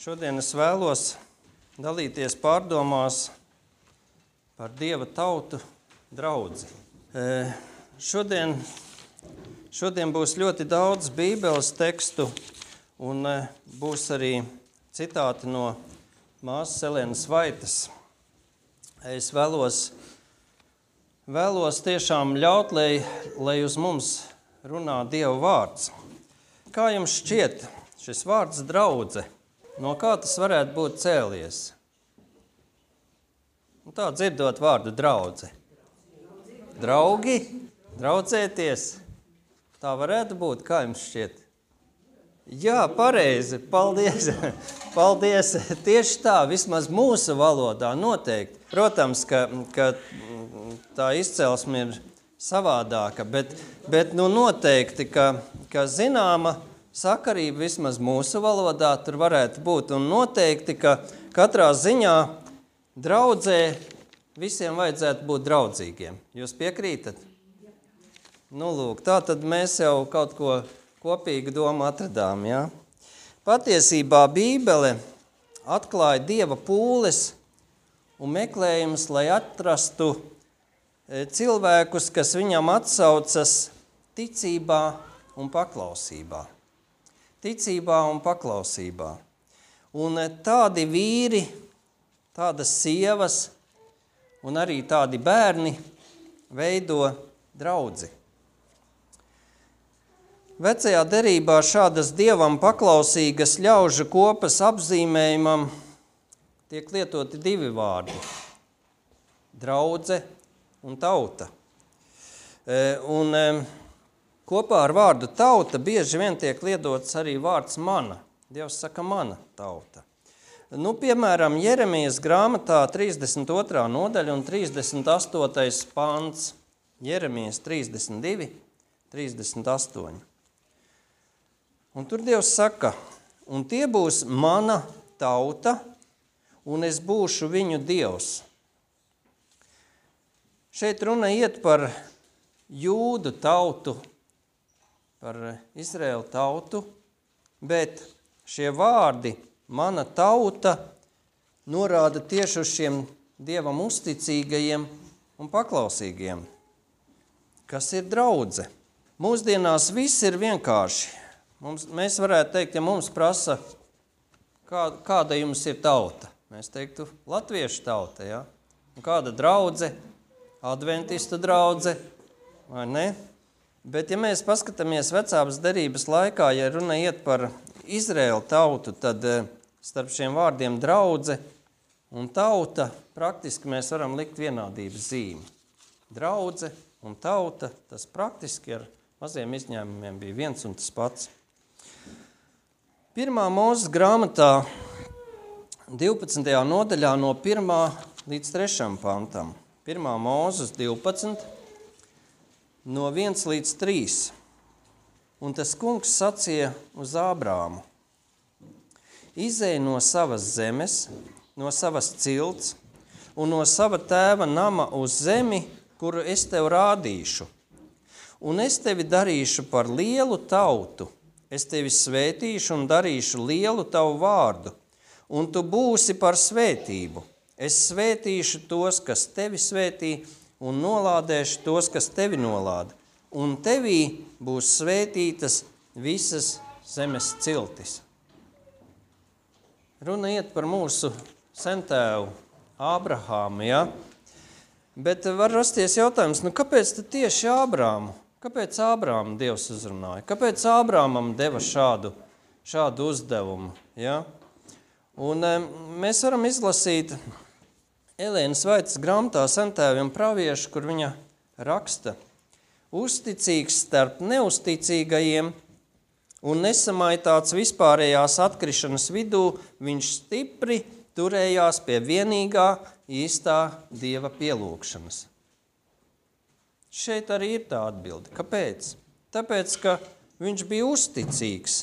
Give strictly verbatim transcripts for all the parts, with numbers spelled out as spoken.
Šodien es vēlos dalīties pārdomās par Dieva tautu draudzi. Šodien, šodien būs ļoti daudz Bībeles tekstu un būs arī citāti no māsas Elenas Vaitas. Es vēlos, vēlos tiešām ļaut, lai, lai uz mums runā Dieva vārds. Kā jums šķiet šis vārds draudze? No kā tas varētu būt cēlies? Un tā dzirdot vārdu draudze. Draugi, draudzēties. Tā varētu būt, kā jums šķiet? Jā, pareizi, paldies. Paldies. Tieši tā, vismaz mūsu valodā noteikti. Protams, ka, ka tā izcelsme ir savādāka, bet, bet nu noteikti, ka, ka zināma sakarība vismaz mūsu valodā tur varētu būt, un noteikti, ka katrā ziņā draudzē visiem vajadzētu būt draudzīgiem. Jūs piekrītat? Nu, lūk, tā tad mēs jau kaut ko kopīgu domu atradām, jā? Patiesībā Bībele atklāja Dieva pūles un meklējumus, lai atrastu cilvēkus, kas viņam atsaucas ticībā un paklausībā. Ticībā un paklausībā. Un tādi vīri, tādas sievas un arī tādi bērni veido draudzi. Vecajā derībā šādas Dievam paklausīgas ļaužu kopas apzīmējumam tiek lietoti divi vārdi – draudze un tauta. Un kopā ar vārdu tauta bieži vien tiek lietots arī vārds mana. Dievs saka mana tauta. Nu, piemēram, Jeremijas grāmatā trīsdesmit otrā nodaļa un trīsdesmit astotais pants. Jeremijas trīsdesmit divi, trīsdesmit astoņi. Un tur Dievs saka, un tie būs mana tauta, un es būšu viņu Dievs. Šeit runa iet par jūdu tautu, par Izraēlu tautu, bet šie vārdi, mana tauta, norāda tieši uz šiem Dievam uzticīgajiem un paklausīgiem. Kas ir draudze? Mūsdienās viss ir vienkārši. Mums, mēs varētu teikt, ja mums prasa, kā, kāda jums ir tauta? Mēs teiktu, latviešu tauta, ja? Un kāda draudze? Adventistu draudze, vai ne? Bet, ja mēs paskatāmies vecās derības laikā, ja runa iet par Izraēlu tautu, tad starp šiem vārdiem draudze un tauta praktiski mēs varam likt vienādības zīmi. Draudze un tauta, tas praktiski ar maziem izņēmumiem bija viens un tas pats. Pirmā Mūzes grāmatā divpadsmitajā nodaļā no pirmā līdz trešam pantam. Pirmā Mūzes divpadsmit, no viens līdz trīs. Un tas kungs sacīja uz Ābrāmu: izej no savas zemes, no savas cilts un no sava tēva nama uz zemi, kuru es tev rādīšu. Un es tevi darīšu par lielu tautu, es tevi svētīšu un darīšu lielu tavu vārdu, un tu būsi par svētību. Es svētīšu tos, kas tevi svētī, un nolādēšu tos, kas tevi nolāda. Un tevī būs svētītas visas zemes ciltis. Runa iet par mūsu sentēvu Ābrahāmu, ja? Bet var rasties jautājums, nu kāpēc tad tieši Ābrāmu? Kāpēc Ābrāmu Dievs uzrunāja? Kāpēc Ābrāmam deva šādu, šādu uzdevumu, ja? Un e, mēs varam izlasīt Elenas Vaitas grāmatā Sentēviem praviešu, kur viņa raksta: uzticīgs starp neusticīgajiem un nesamaitāts vispārējās atkrišanas vidū, viņš stipri turējās pie vienīgā īstā Dieva pielūgšanas. Šeit arī ir tā atbilde. Kāpēc? Tāpēc, ka viņš bija uzticīgs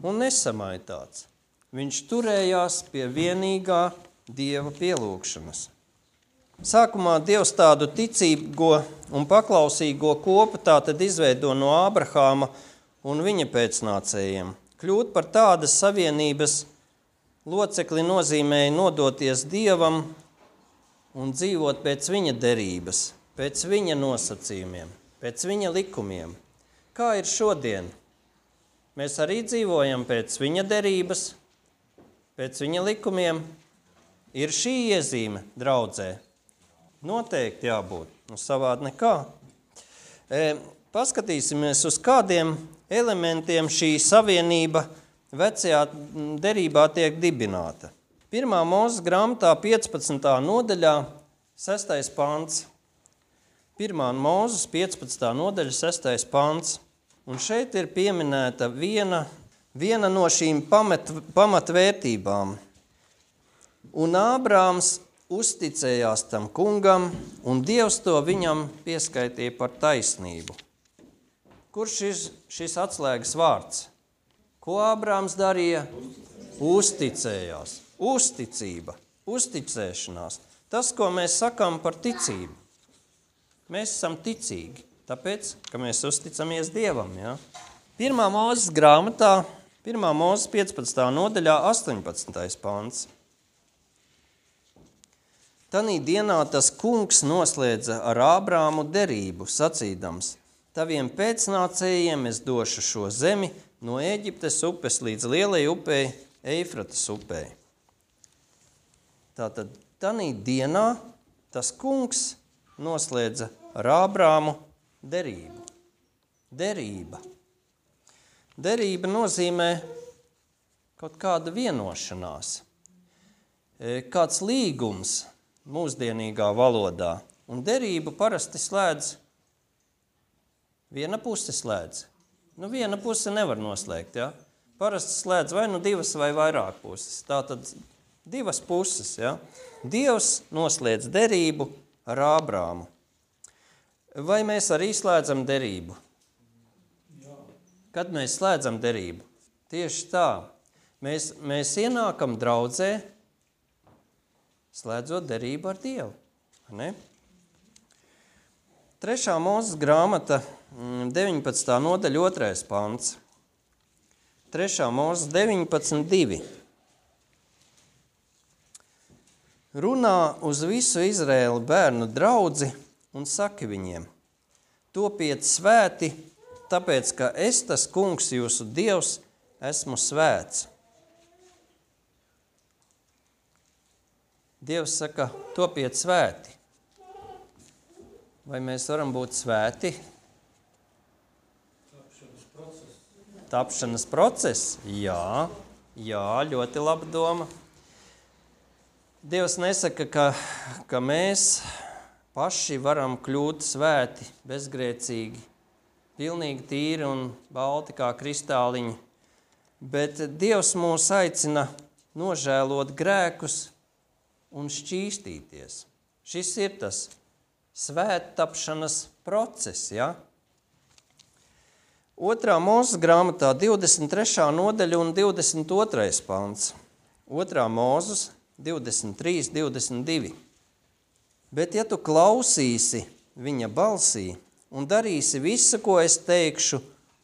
un nesamaitāts. Viņš turējās pie vienīgā Dieva pielūgšanas. Sākumā Dievs tādu ticīgo un paklausīgo kopu tātad izveido no Ābrahāma un viņa pēcnācējiem. Kļūt par tādas savienības locekli nozīmēja nodoties Dievam un dzīvot pēc viņa derības, pēc viņa nosacījumiem, pēc viņa likumiem. Kā ir šodien? Mēs arī dzīvojam pēc viņa derības, pēc viņa likumiem. Ir šī iezīme draudzē? Noteikti jābūt, nu savādi nekā. E, paskatīsimies, uz kādiem elementiem šī savienība vecajā derībā tiek dibināta. Pirmā Mūzes grāmatā piecpadsmitā nodaļā, sestais pants. Pirmā Mūzes piecpadsmitā nodaļa, sestais pants. Un šeit ir pieminēta viena, viena no šīm pamat, pamatvērtībām. Un Ābrāms uzticējās tam kungam, un Dievs to viņam pieskaitīja par taisnību. Kurš ir šis atslēgas vārds? Ko Ābrāms darīja? Uzticējās. Uzticība, uzticēšanās. Tas, ko mēs sakām par ticību. Mēs esam ticīgi, tāpēc, ka mēs uzticamies Dievam. Ja? Pirmā Mūzes grāmatā, pirmā Mūzes piecpadsmitā nodaļā, astoņpadsmitais pants. Tanī dienā tas kungs noslēdza ar Ābrāmu derību, sacīdams: taviem pēcnācējiem es došu šo zemi no Ēģiptes upes līdz lielai upei, Eifratas upei. Tātad tanī dienā tas kungs noslēdza ar Ābrāmu derību. Derība. Derība nozīmē kaut kāda vienošanās, kāds līgums mūsdienīgā valodā. Un derību parasti slēdz, viena puse slēdz. Nu, viena puse nevar noslēgt, ja? Parasti slēdz vai nu divas vai vairāk puses. Tātad divas puses, ja? Dievs noslēdz derību ar Ābrāmu. Vai mēs arī slēdzam derību? Kad mēs slēdzam derību? Tieši tā. Mēs, mēs ienākam draudzē, slēdzot derību ar Dievu. Ne? Trešā Mūzes grāmata, deviņpadsmitā nodaļa, otrais pants. Trešā Mūzes deviņpadsmit divi. Runā uz visu Izraēlu bērnu draudzi un saki viņiem: topiet svēti, tāpēc, ka es, tas kungs, jūsu Dievs, esmu svēts. Dievs saka, topiet svēti. Vai mēs varam būt svēti? Tapšanas process. Tapšanas process? Jā, jā, ļoti laba doma. Dievs nesaka, ka, ka mēs paši varam kļūt svēti, bezgrēcīgi, pilnīgi tīri un balti kā kristāliņi, bet Dievs mūs aicina nožēlot grēkus un šķīstīties. Šis ir tas svēttapšanas process, ja? Otrā Mūzes grāmatā divdesmit trešā nodaļa un divdesmit otrais pants. Otrā Mūzes divdesmit trīs, divdesmit divi. Bet ja tu klausīsi viņa balsī un darīsi visu, ko es teikšu,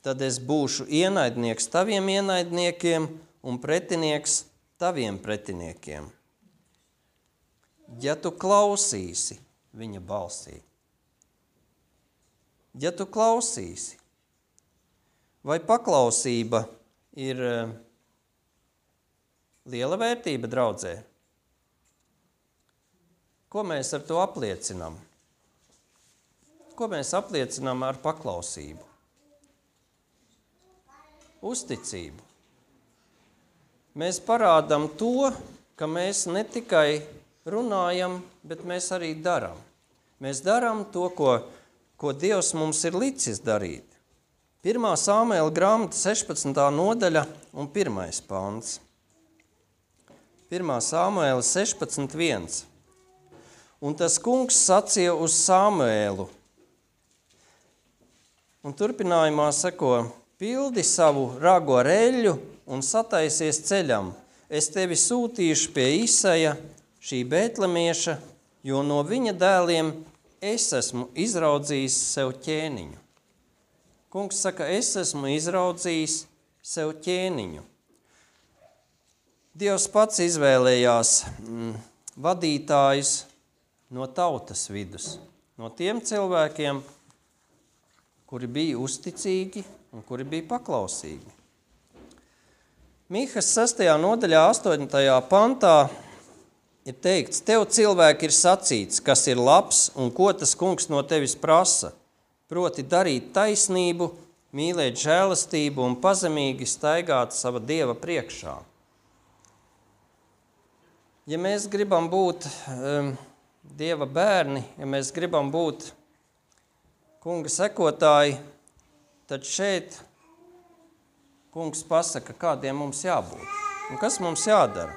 tad es būšu ienaidnieks taviem ienaidniekiem un pretinieks taviem pretiniekiem. Ja tu klausīsi viņa balsī. Ja tu klausīsi. Vai paklausība ir liela vērtība draudzē? Ko mēs ar to apliecinām? Ko mēs apliecinām ar paklausību? Uzticību. Mēs parādām to, ka mēs ne tikai runājam, bet mēs arī darām. Mēs darām to, ko, ko Dievs mums ir licis darīt. Pirmā Samuēla grāmata sešpadsmitā nodaļa un pirmais pants. Pirmā Samuēla sešpadsmit viens. Un tas kungs sacīja uz Samuēlu. Un turpinājumā seko: pildi savu rago reļu un sataisies ceļam. Es tevi sūtīšu pie Isaja, šī Bētlemieša, jo no viņa dēliem es esmu izraudzījis sev ķēniņu. Kungs saka, es esmu izraudzījis sev ķēniņu. Dievs pats izvēlējās mm, vadītājus no tautas vidus, no tiem cilvēkiem, kuri bija uzticīgi un kuri bija paklausīgi. Mīhas sestajā nodaļā, astoņtajā pantā ir teikts, tev cilvēki ir sacīts, kas ir labs un ko tas kungs no tevis prasa, proti darīt taisnību, mīlēt žēlastību un pazemīgi staigāt sava Dieva priekšā. Ja mēs gribam būt um, Dieva bērni, ja mēs gribam būt kunga sekotāji, tad šeit kungs pasaka, kādiem mums jābūt un kas mums jādara.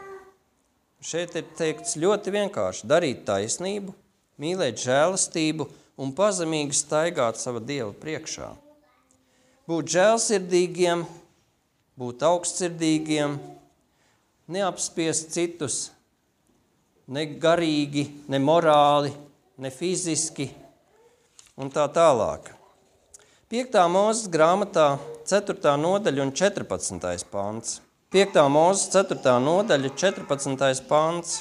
Šeit ir teikts ļoti vienkārši darīt taisnību, mīlēt žēlastību un pazemīgi staigāt sava Dieva priekšā. Būt žēlsirdīgiem, būt augstsirdīgiem, neapspiest citus, ne garīgi, ne morāli, ne fiziski un tā tālāk. Piektā Mūzes grāmatā, ceturtā nodaļa un četrpadsmitais pants. Piektā Mūzes ceturtā nodaļa, četrpadsmitais pants.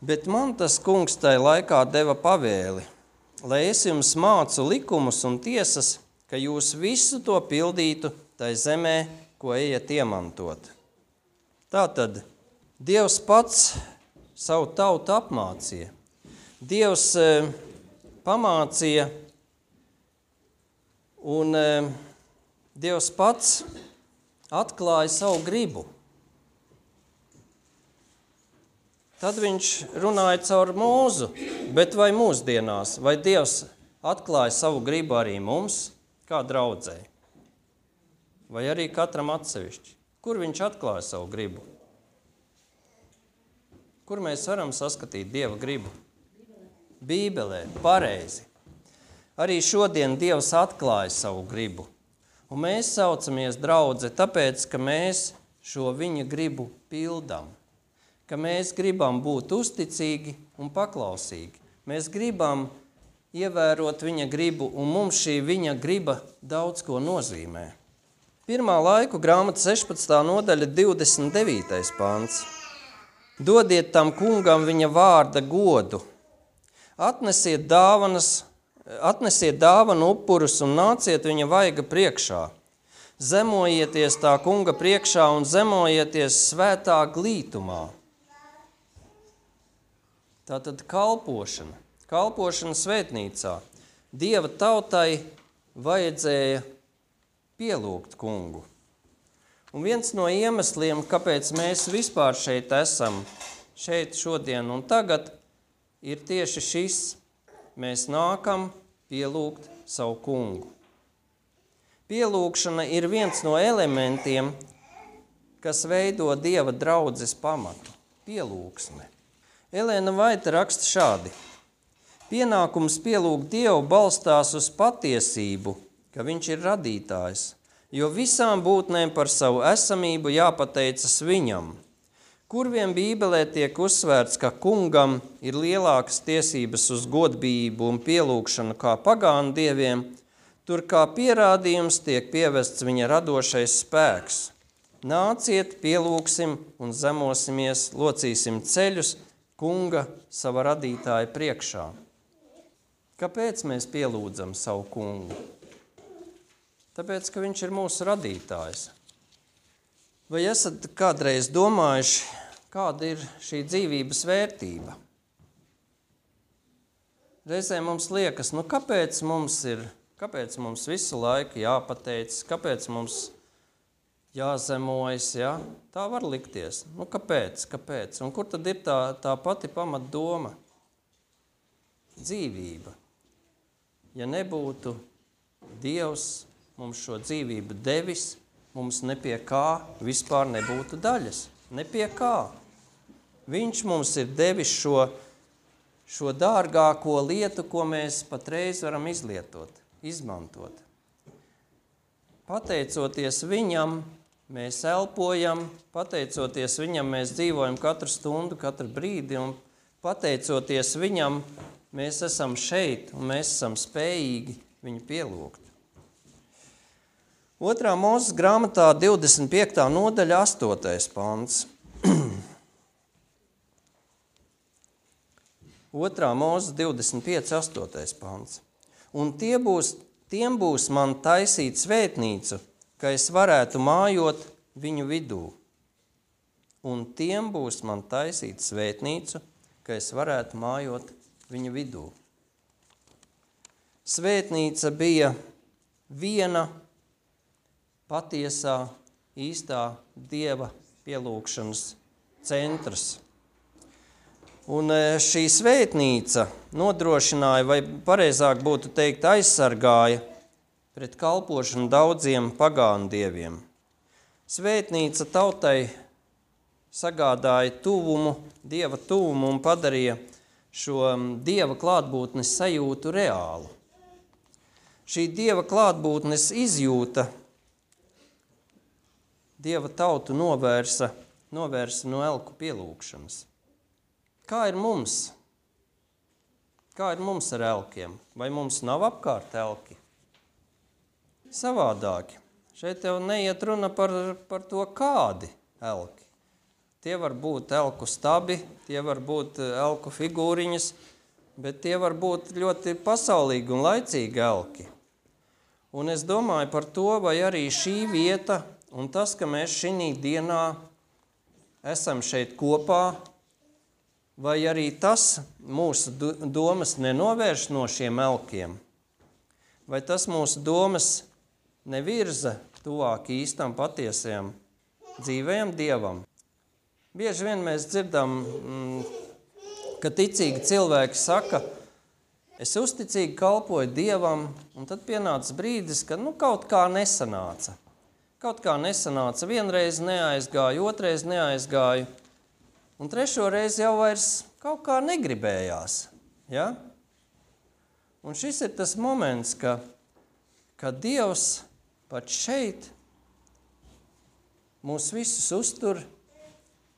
Bet man tas kungs tai laikā deva pavēli, lai es jums mācu likumus un tiesas, ka jūs visu to pildītu tai zemē, ko ejat iemantot. Tātad Dievs pats savu tautu apmācīja. Dievs e, pamācīja un e, Dievs pats atklāja savu gribu. Tad viņš runāja caur Mūzu, bet vai mūsdienās, vai Dievs atklāja savu gribu arī mums, kā draudzei? Vai arī katram atsevišķi? Kur viņš atklāja savu gribu? Kur mēs varam saskatīt Dieva gribu? Bībelē, pareizi. Arī šodien Dievs atklāja savu gribu. Un mēs saucamies draudze, tāpēc, ka mēs šo viņa gribu pildam. Ka mēs gribam būt uzticīgi un paklausīgi. Mēs gribam ievērot viņa gribu, un mums šī viņa griba daudz ko nozīmē. Pirmā laiku grāmata sešpadsmitā nodaļa, divdesmit devītais pants. Dodiet tam kungam viņa vārda godu. Atnesiet dāvanas, atnesiet dāvanu upurus un nāciet viņa vaiga priekšā. Zemojieties tā kunga priekšā un zemojieties svētā glītumā. Tātad kalpošana, kalpošana svētnīcā. Dieva tautai vajadzēja pielūgt kungu. Un viens no iemesliem, kāpēc mēs vispār šeit esam, šeit šodien un tagad, ir tieši šis. Mēs nākam pielūgt savu kungu. Pielūgšana ir viens no elementiem, kas veido Dieva draudzes pamatu. Pielūgsme. Elēna Vaita raksta šādi. Pienākums pielūgt Dievu balstās uz patiesību, ka viņš ir radītājs, jo visām būtnēm par savu esamību jāpateicas viņam. Kur vien Bībelē tiek uzsvērts, ka kungam ir lielākas tiesības uz godbību un pielūgšanu kā pagānu dieviem, tur kā pierādījums tiek pievests viņa radošais spēks. Nāciet, pielūgsim un zemosimies, locīsim ceļus kunga sava radītāja priekšā. Kāpēc mēs pielūdzam savu kungu? Tāpēc, ka viņš ir mūsu radītājs. Vai esat kādreiz domājuši, kāda ir šī dzīvības vērtība? Reizē mums liekas, nu kāpēc mums ir, kāpēc mums visu laiku jāpateicas, kāpēc mums jāzemojas, ja? Tā var likties. Nu kāpēc, kāpēc? Un kur tad ir tā, tā pati pamatdoma? Dzīvība. Ja nebūtu Dievs mums šo dzīvību devis, mums ne pie kā vispār nebūtu daļas. Ne pie kā. Viņš mums ir devis šo, šo dārgāko lietu, ko mēs patreiz varam izlietot, izmantot. Pateicoties viņam, mēs elpojam, pateicoties viņam, mēs dzīvojam katru stundu, katru brīdi, un pateicoties viņam, mēs esam šeit, un mēs esam spējīgi viņu pielūgt. Otrā Mūzes grāmatā divdesmit piektā nodaļa, astotais pants. otrā mūzes divdesmit pieci astotais pants. Un tie būs, tiem būs man taisīt svētnīcu, ka es varētu mājot viņu vidū. Un tiem būs man taisīt svētnīcu, ka es varētu mājot viņu vidū. Svētnīca bija viena patiesā, īstā Dieva pielūgšanas centrs. Un šī svētnīca nodrošināja, vai pareizāk būtu teikt, aizsargāja pret kalpošanu daudziem pagānu dieviem. Svētnīca tautai sagādāja tuvumu, Dieva tuvumu un padarīja šo Dieva klātbūtnes sajūtu reālu. Šī Dieva klātbūtnes izjūta Dieva tautu novērsa, novērsa no elku pielūgšanas. Kā ir mums? Kā ir mums ar elkiem? Vai mums nav apkārt elki? Savādāki. Šeit jau neiet runa par, par to, kādi elki. Tie var būt elku stabi, tie var būt elku figūriņas, bet tie var būt ļoti pasaulīgi un laicīgi elki. Un es domāju par to, vai arī šī vieta un tas, ka mēs šī dienā esam šeit kopā, vai arī tas mūsu domas nenovērš no šiem elkiem, vai tas mūsu domas nevirza tuvāk īstam patiesajam dzīvajam Dievam. Bieži vien mēs dzirdam, ka ticīgi cilvēki saka, es uzticīgi kalpoju Dievam, un tad pienāca brīdis, ka nu, kaut kā nesanāca. Kaut kā nesanāca, vienreiz neaizgāju, otrais neaizgāju, un trešo reizi jau vairs kaut kā negribējās. Ja? Un šis ir tas moments, ka, ka Dievs pat šeit mūs visus uztur,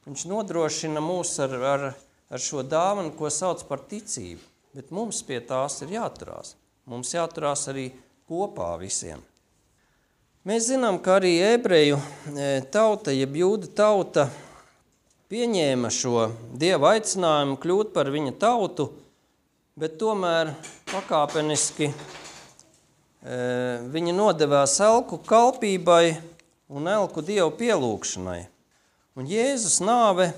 viņš nodrošina mūs ar, ar, ar šo dāvanu, ko sauc par ticību, bet mums pie tās ir jāturās. Mums jāturās arī kopā visiem. Mēs zinām, ka arī ebreju tauta, jeb jūda tauta, pieņēma šo Dieva aicinājumu kļūt par viņa tautu, bet tomēr pakāpeniski e, viņi nodevās elku kalpībai un elku Dievu pielūgšanai. Un Jēzus nāve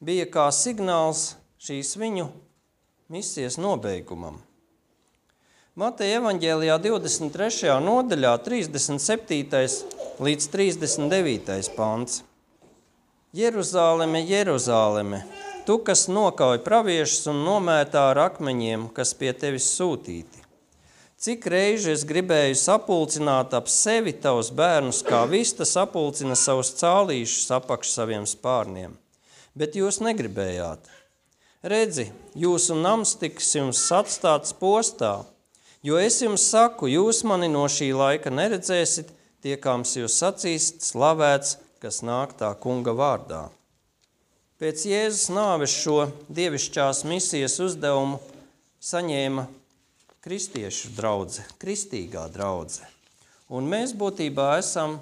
bija kā signāls šīs viņu misijas nobeigumam. Mateja evaņģēlijā divdesmit trešajā nodaļā trīsdesmit septītais līdz trīsdesmit devītais pants. Jeruzāleme, Jeruzāleme, tu, kas nokauj praviešus un nomētā ar akmeņiem, kas pie tevis sūtīti. Cik reizi es gribēju sapulcināt ap sevi tavus bērnus, kā vista sapulcina savus cālīšus apakš saviem spārniem, bet jūs negribējāt. Redzi, jūsu nams tiks jums atstāts postā, jo es jums saku, jūs mani no šī laika neredzēsit, tiekams jūs sacīst slavēts, kas nāk tā kunga vārdā. Pēc Jēzus nāves šo dievišķās misijas uzdevumu saņēma kristiešu draudze, kristīgā draudze. Un mēs būtībā esam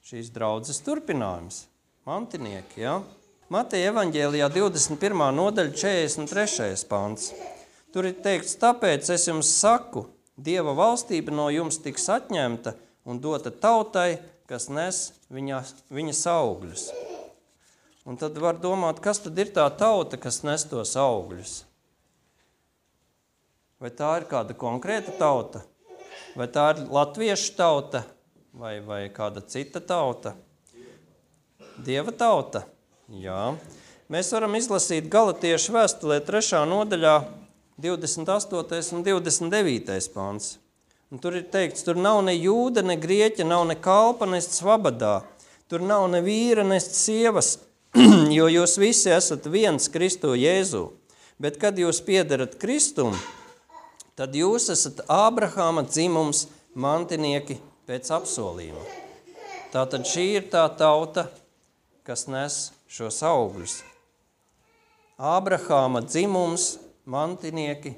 šīs draudzes turpinājums, mantinieki, ja? Mateja evaņģēlijā divdesmit pirmā nodaļa četrdesmit trešais pants. Tur ir teikts, tāpēc es jums saku, Dieva valstība no jums tiks atņemta un dota tautai, kas nes viņa, viņas augļus. Un tad var domāt, kas tad ir tā tauta, kas nes tos augļus? Vai tā ir kāda konkrēta tauta? Vai tā ir latviešu tauta? Vai, vai kāda cita tauta? Dieva tauta? Jā. Mēs varam izlasīt Galatiešu vēstulē trešā nodaļā divdesmit astotais un divdesmit devītais pants. Un tur ir teikts, tur nav ne jūda, ne grieķa, nav ne kalpa, ne svabadā. Tur nav ne vīra, ne sievas, jo jūs visi esat viens Kristu Jēzu. Bet kad jūs piederat Kristum, tad jūs esat Ābrahāma dzimums mantinieki pēc apsolījuma. Tātad šī ir tā tauta, kas nes šos augļus. Ābrahāma dzimums mantinieki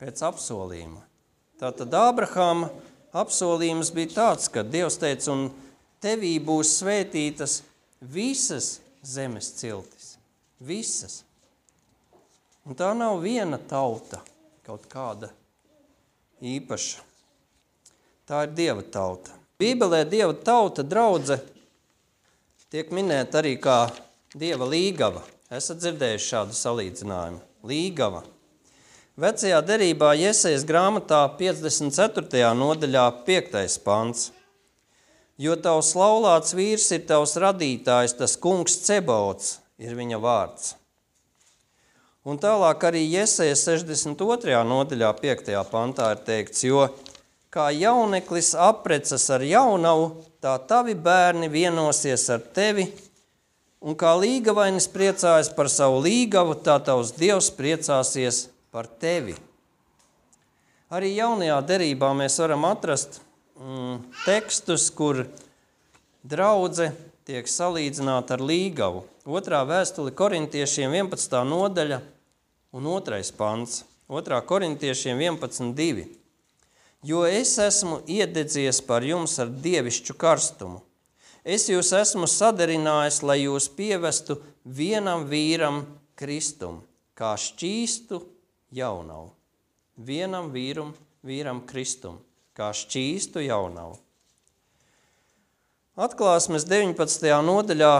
pēc apsolījuma. Tātad Ābrahāma apsolījums bija tāds, ka Dievs teica, un tevī būs svētītas visas zemes ciltis. Visas. Un tā nav viena tauta, kaut kāda īpaša. Tā ir Dieva tauta. Bībelē Dieva tauta, draudze, tiek minēta arī kā Dieva līgava. Esat dzirdējuši šādu salīdzinājumu. Līgava. Vecajā derībā Jesejas grāmatā piecdesmit ceturtajā nodaļā piektais pants. Jo tavs laulāts vīrs ir tavs radītājs, tas kungs Cebaots ir viņa vārds. Un tālāk arī Jesejas sešdesmit otrajā nodaļā piektajā pantā ir teikts, jo kā jauneklis aprecas ar jaunavu, tā tavi bērni vienosies ar tevi, un kā līgavainis priecājas par savu līgavu, tā tavs Dievs priecāsies par tevi. Arī jaunajā derībā mēs varam atrast mm, tekstus, kur draudze tiek salīdzināta ar līgavu. Otrā vēstule korintiešiem vienpadsmitā nodaļa un otrais pants. Otrā korintiešiem vienpadsmit divi. Jo es esmu iededzies par jums ar dievišķu karstumu. Es jūs esmu sadarinājis, lai jūs pievestu vienam vīram Kristum, kā šķīstu jaunavu. Vienam vīrum, vīram Kristum, kā šķīstu jaunavu. Atklāsmes deviņpadsmitajā nodaļā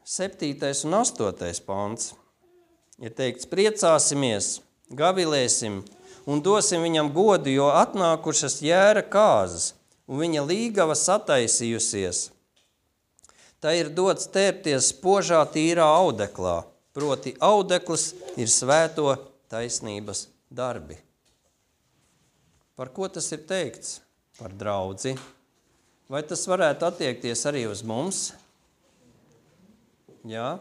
septītais un astotais pants. Ir teikts, priecāsimies, gavilēsim un dosim viņam godu, jo atnākušas jēra kāzas, un viņa līgava sataisījusies. Tā ir dots tērpties spožā tīrā audeklā, proti audeklis ir svēto taisnības darbi. Par ko tas ir teikts? Par draudzi. Vai tas varētu attiekties arī uz mums? Jā.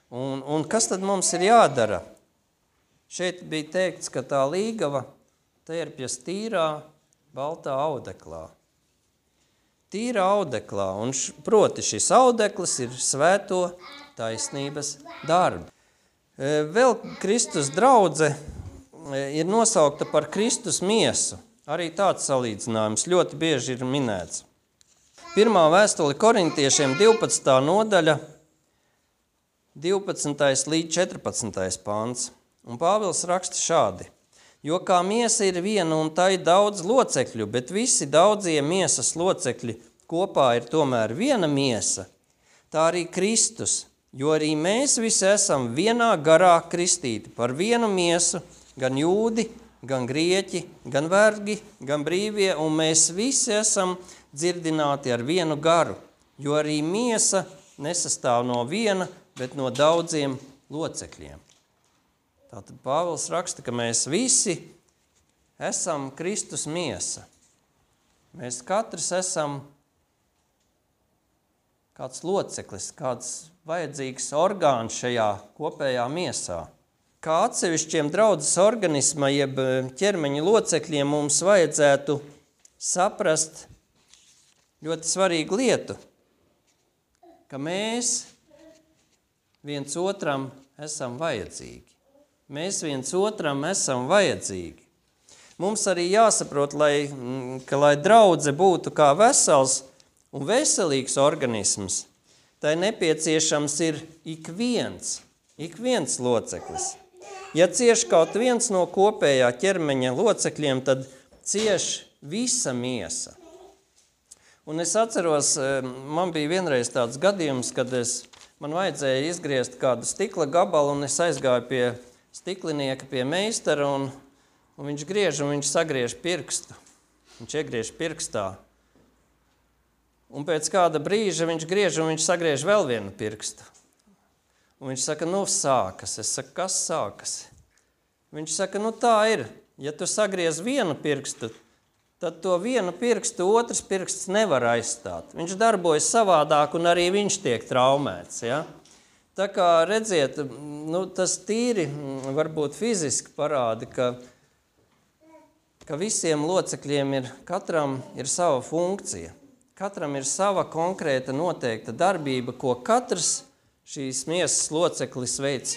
Un, un kas tad mums ir jādara? Šeit bija teikts, ka tā līgava tērpjas tīrā, baltā audeklā. Tīrā audeklā, un š, proti šis audeklis ir svēto taisnības darbi. Vēl Kristus draudze ir nosaukta par Kristus miesu. Arī tāds salīdzinājums ļoti bieži ir minēts. Pirmā vēstule korintiešiem divpadsmitā nodaļa, divpadsmitais līdz četrpadsmitais pants. Un Pāvils raksta šādi. Jo kā miesa ir viena un tai daudz locekļu, bet visi daudzie miesas locekļi kopā ir tomēr viena miesa, tā arī Kristus. Jo arī mēs visi esam vienā garā kristīti par vienu miesu, gan jūdi, gan grieķi, gan vergi, gan brīvie, un mēs visi esam dzirdināti ar vienu garu, jo arī miesa nesastāv no viena, bet no daudziem locekļiem. Tātad Pāvils raksta, ka mēs visi esam Kristus miesa. Mēs katrs esam kāds loceklis, kāds vajadzīgs orgāns šajā kopējā miesā. Kā atsevišķiem draudzes organisma, jeb ķermeņa locekļiem mums vajadzētu saprast ļoti svarīgu lietu, ka mēs viens otram esam vajadzīgi. Mēs viens otram esam vajadzīgi. Mums arī jāsaprot, lai, ka lai draudze būtu kā vesels un veselīgs organisms, tai nepieciešams ir ik viens, ik viens loceklis. Ja cieš kaut viens no kopējā ķermeņa locekļiem, tad cieš visa miesa. Un es atceros, man bija vienreiz tāds gadījums, kad es, man vajadzēja izgriezt kādu stikla gabalu, un es aizgāju pie stiklinieka, pie meistara, un, un viņš griež, un viņš sagriež pirkstu. Viņš iegriež pirkstā. Un pēc kāda brīža viņš griež, un viņš sagriež vēl vienu pirkstu. Un viņš saka, nu sākas. Es saku, kas sākas? Viņš saka, nu tā ir. Ja tu sagriez vienu pirkstu, tad to vienu pirkstu otrs pirksts nevar aizstāt. Viņš darbojas savādāk, un arī viņš tiek traumēts. Ja? Tā kā redziet, nu, tas tīri varbūt fiziski parāda, ka, ka visiem locekļiem ir, katram ir sava funkcija. Katram ir sava konkrēta noteikta darbība, ko katrs šīs miesas loceklis veic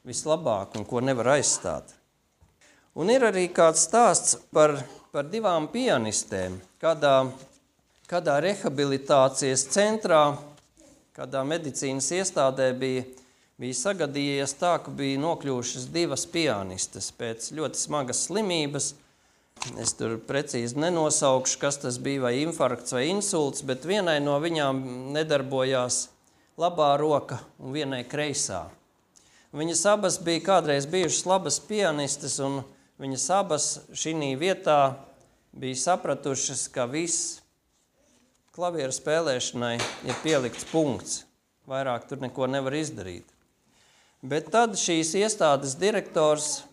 vislabāk un ko nevar aizstāt. Un ir arī kāds stāsts par, par divām pianistēm, kādā, kādā rehabilitācijas centrā, kādā medicīnas iestādē bija bija sagadījies tā, ka bija nokļuvušas divas pianistes pēc ļoti smagas slimības. Es tur precīzi nenosaukšu, kas tas bija, vai infarkts vai insults, bet vienai no viņām nedarbojās labā roka un vienai kreisā. Viņas abas bija kādreiz bijušas labas pianistes, un viņas abas šī vietā bija sapratušas, ka viss klavieru spēlēšanai ir pielikts punkts. Vairāk tur neko nevar izdarīt. Bet tad šīs iestādes direktors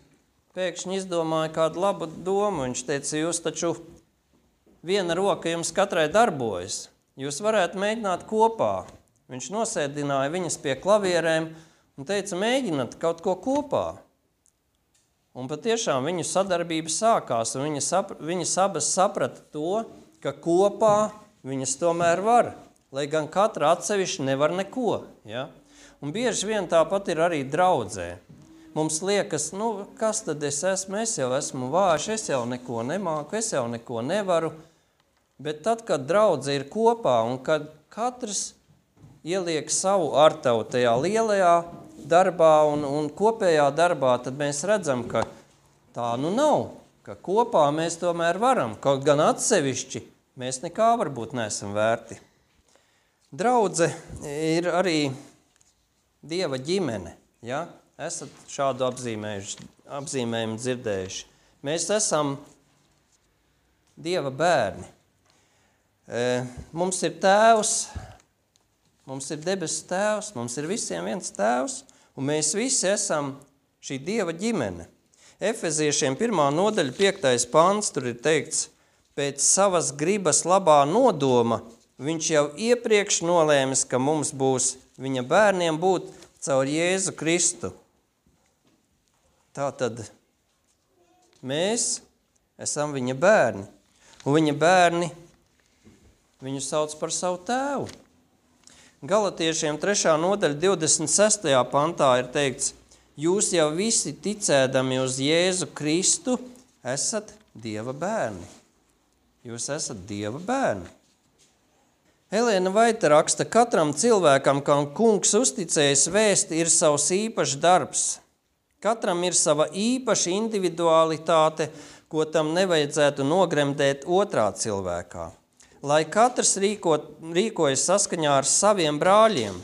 pēkšņi izdomāja kādu labu domu. Viņš teica, jūs taču viena roka jums katrai darbojas. Jūs varētu mēģināt kopā. Viņš nosēdināja viņas pie klavierēm un teica, mēģināt kaut ko kopā. Un patiešām viņu sadarbība sākās, un viņas, sap, viņas abas saprata to, ka kopā viņas tomēr var, lai gan katra atsevišķi nevar neko. Ja? Un bieži vien tāpat ir arī draudzē. Mums liekas, nu, kas tad es esmu, es jau esmu vājš, es jau neko nemāku, es jau neko nevaru. Bet tad, kad draudze ir kopā un kad katrs ieliek savu artavu tajā lielajā darbā un, un kopējā darbā, tad mēs redzam, ka tā nu nav, ka kopā mēs tomēr varam, kaut gan atsevišķi mēs nekā varbūt neesam vērti. Draudze ir arī Dieva ģimene, ja? Esat šādu apzīmējumu dzirdējuši. Mēs esam Dieva bērni. Mums ir tēvs, mums ir debesu tēvs, mums ir visiem viens tēvs, un mēs visi esam šī Dieva ģimene. Efeziešiem pirmā nodaļa, piektais pants, tur ir teikts, pēc savas gribas labā nodoma, viņš jau iepriekš nolēmis, ka mums būs viņa bērniem būt caur Jēzu Kristu. Tātad mēs esam viņa bērni, un viņa bērni viņu sauc par savu tēvu. Galatiešiem trešā nodaļa divdesmit sestajā pantā ir teikts, jūs jau visi ticēdami uz Jēzu Kristu esat Dieva bērni. Jūs esat Dieva bērni. Elēna Vaita raksta, katram cilvēkam, kam kungs uzticējis vēsti, ir savs īpašs darbs. Katram ir sava īpaša individualitāte, ko tam nevajadzētu nogremdēt otrā cilvēkā. Lai katrs rīkot, rīkojas saskaņā ar saviem brāļiem,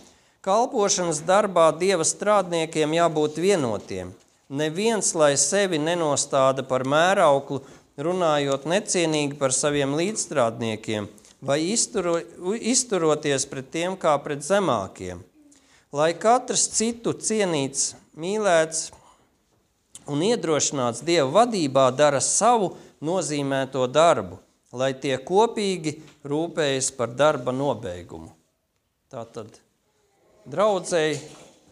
kalpošanas darbā Dieva strādniekiem jābūt vienotiem. Neviens, lai sevi nenostāda par mērauklu, runājot necienīgi par saviem līdzstrādniekiem, vai izturo, izturoties pret tiem kā pret zemākiem. Lai katrs citu cienīts, mīlēts un iedrošināts Dieva vadībā dara savu nozīmēto darbu, lai tie kopīgi rūpējas par darba nobeigumu. Tātad draudzei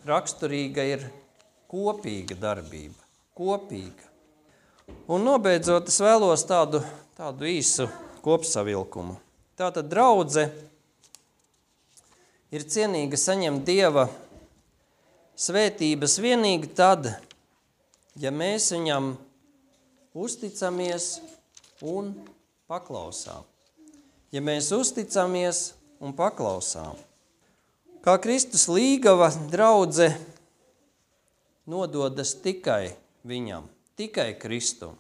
raksturīga ir kopīga darbība, kopīga. Un nobeidzot, es vēlos tādu, tādu īsu kopsavilkumu. Tātad draudze ir cienīga saņemt Dieva svētības vienīgi tad, ja mēs viņam uzticamies un paklausām. Ja mēs uzticamies un paklausām. Kā Kristus līgava draudze nododas tikai viņam, tikai Kristum.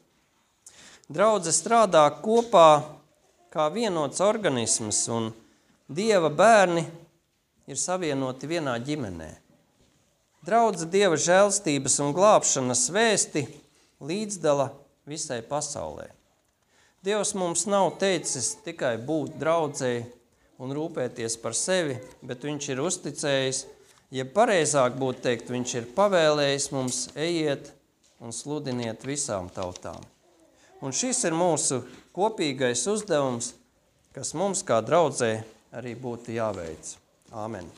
Draudze strādā kopā kā vienots organisms, un Dieva bērni ir savienoti vienā ģimenē. Draudze Dieva žēlstības un glābšanas vēsti līdzdala visai pasaulē. Dievs mums nav teicis tikai būt draudzei un rūpēties par sevi, bet viņš ir uzticējis, ja pareizāk būtu teikt, viņš ir pavēlējis mums ejiet un sludiniet visām tautām. Un šis ir mūsu kopīgais uzdevums, kas mums kā draudzei arī būtu jāveic. Āmen.